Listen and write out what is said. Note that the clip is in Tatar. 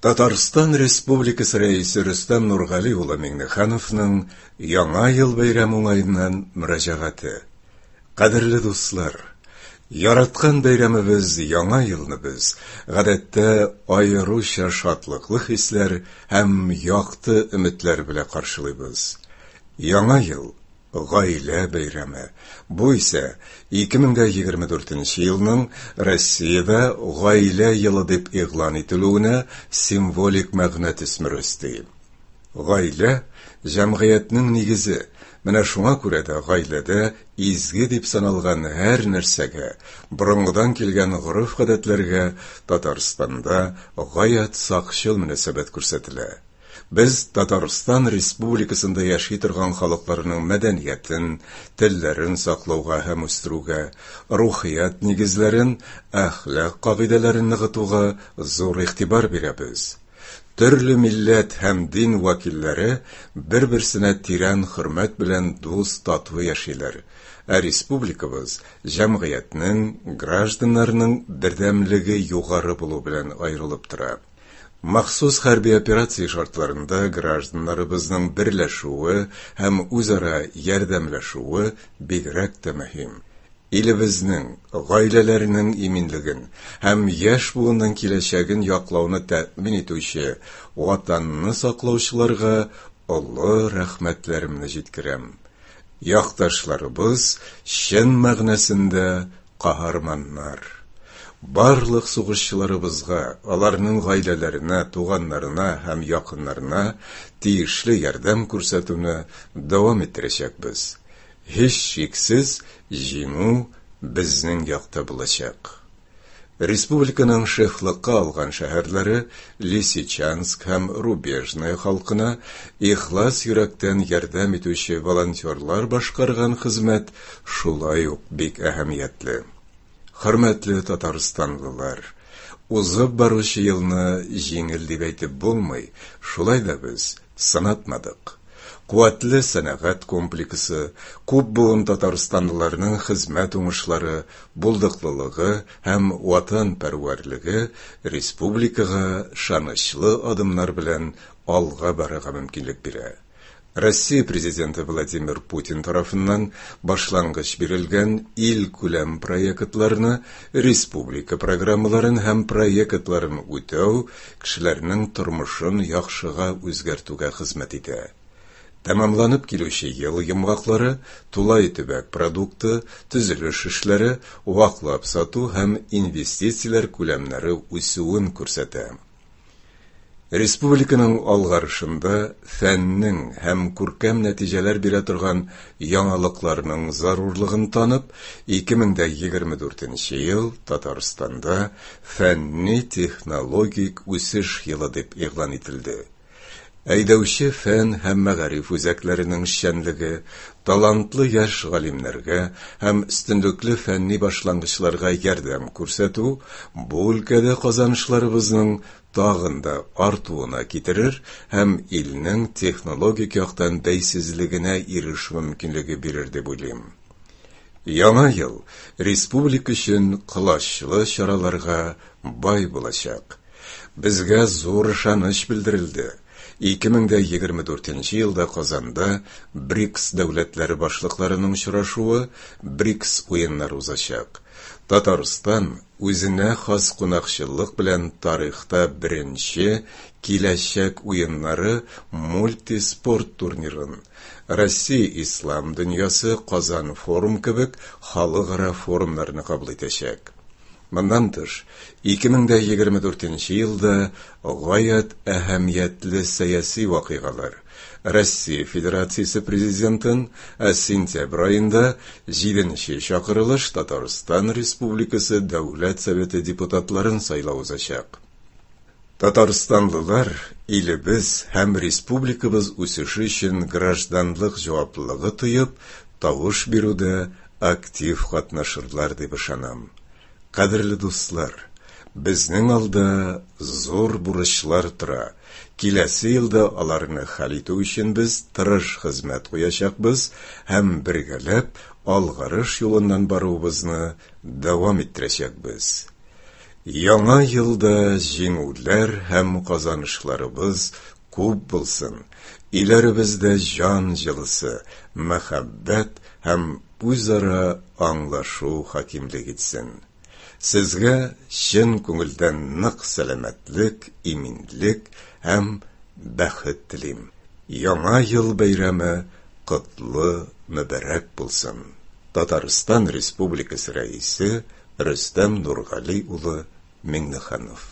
Татарстан Республикасы Рәисе Рөстәм Нургали улы Миңнехановның Яңа ел бәйрәме уңаеннан мөрәҗәгате. Кадерле дуслар! Яраткан бәйрәмебез Яңа елны без, гадәттә, аеруча шатлыклы хисләр һәм якты өметләр белән каршылыйбыз. Яңа ел, Гаилә бәйрәме. Бу исә 2024 нче елның Россиядә Гаилә елы дип игълан ителүенә символик мәгънә төсмере өсти. Гаилә, җәмгыятьнең нигезе, менә шуңа күрә дә гаиләдә изге дип саналган һәр нәрсәгә, борынгыдан килгән гореф-гадәтләргә Татарстанда гаять сакчыл мөнәсәбәт күрсәтелә. Без Татарстан Республикасында яши торган халыкларның мәдәниятен, телләрен саклауга һәм үстерүгә, рухият нигезләрен, әхлак кагыйдәләрен ныгытуга зур игътибар бирәбез. Төрле милләт һәм дин вәкилләре бер-берсенә тирән хөрмәт белән дус-тату яшиләр, ә республикабыз җәмгыятьнең, гражданнарның бердәмлеге югары булу белән аерылып тора. Махсус хәрби операция шартларында гражданнарыбызның берләшүе һәм үзара ярдәмләшүе бигрәк тә мөһим. Илебезнең, гаиләләрнең иминлеген һәм яшь буынның киләчәген яклауны тәэмин итүче Ватанны саклаучыларга олы рәхмәтләремне җиткерәм. Якташларыбыз чын мәгънәсендә Каһарманнар! Барлык сугышчыларыбызга, аларның гаиләләренә, туганнарына һәм якыннарына тиешле ярдәм күрсәтүне дәвам иттерәчәкбез. Һичшиксез, җиңү безнең якта булачак. Республиканың шефлыкка алган шәһәрләре Лисичанск һәм Рубежное халкына ихлас йөрәктән ярдәм итүче волонтерлар башкарган хезмәт шулай ук бик әһәмиятле. Хөрмәтле татарстанлылар! Узып баручы елны җиңел дип әйтеп булмый, шулай да без сынатмадык. Куәтле сәнәгать комплексы, күп буын татарстанлыларның хезмәт уңышлары, булдыклылыгы һәм ватанпәрвәрлеге республикага ышанычлы адымнар белән алга барырга мөмкинлек бирә. Россия Президенты Владимир Путин тарафыннан башлангыч бирелгән илкүләм проектларны, республика программаларын һәм проектларын үтәү кешеләрнең тормышын яхшыга үзгәртүгә хезмәт итә. Тәмамланып килүче ел йомгаклары тулай төбәк продукты, төзелеш эшләре, ваклап сату һәм инвестицияләр күләмнәре үсүен күрсәтә. Республиканың алгарышында фәннең һәм күркәм нәтиҗәләр бирә торган яңалыкларның зарурлыгын танып, 2024 нче ел Татарстанда фәнни-технологик үсеш елы дип игълан ителде. Әйдәүче фән һәм мәгариф үзәкләренең эшчәнлеге, талантлы яшь галимнәргә һәм өстенлекле фәнни башлангычларга ярдәм күрсәтү бу өлкәдә казанышларыбызның тагын да артуына китерер һәм илнең технологик яктан бәйсезлегенә ирешү мөмкинлеге бирер дип уйлыйм. Яңа ел республика өчен колачлы чараларга бай булачак. Безгә зур ышаныч белдерелде. 2024 нче елда Казанда БРИКС дәүләтләре башлыкларының очрашуы, БРИКС уеннары узачак. Татарстан үзенә хас кунакчыллык белән тарихта беренче Киләчәк уеннары мультиспорт турнирын, Россия Ислам дөньясы Казан форум кебек халыкара форумнарны кабул итәчәк. Моннан тыш, 2024 нче елда гаять әһәмиятле сәяси вакыйгалар, Россия Федерациясе Президентын, ә сентябрь аенда җиденче чакырылыш Татарстан Республикасы Дәүләт Советы депутатларын сайлау узачак. Татарстанлылар илебез һәм республикабыз үсеше өчен гражданлык җаваплылыгы тоеп, тавыш бирүдә актив катнашырлар дип ышанам. Кадерле дуслар, безнең алда зур бурычлар тора. Киләсе елда аларны хәл итү өчен без тырыш хезмәт куячакбыз һәм бергәләп алгарыш юлыннан баруыбызны дәвам иттерәчәкбез. Яңа елда җиңүләр һәм казанышларыбыз күп булсын, өйләребездә җан җылысы, мәхәббәт һәм үзара аңлашу хакимлек итсен. Сезгә чын күңелдән нык сәламәтлек, иминлек һәм бәхет телим. Яңа ел бәйрәме котлы, мөбарәк булсын! Татарстан Республикасы Рәисе Рөстәм Нургали улы Миңнеханов.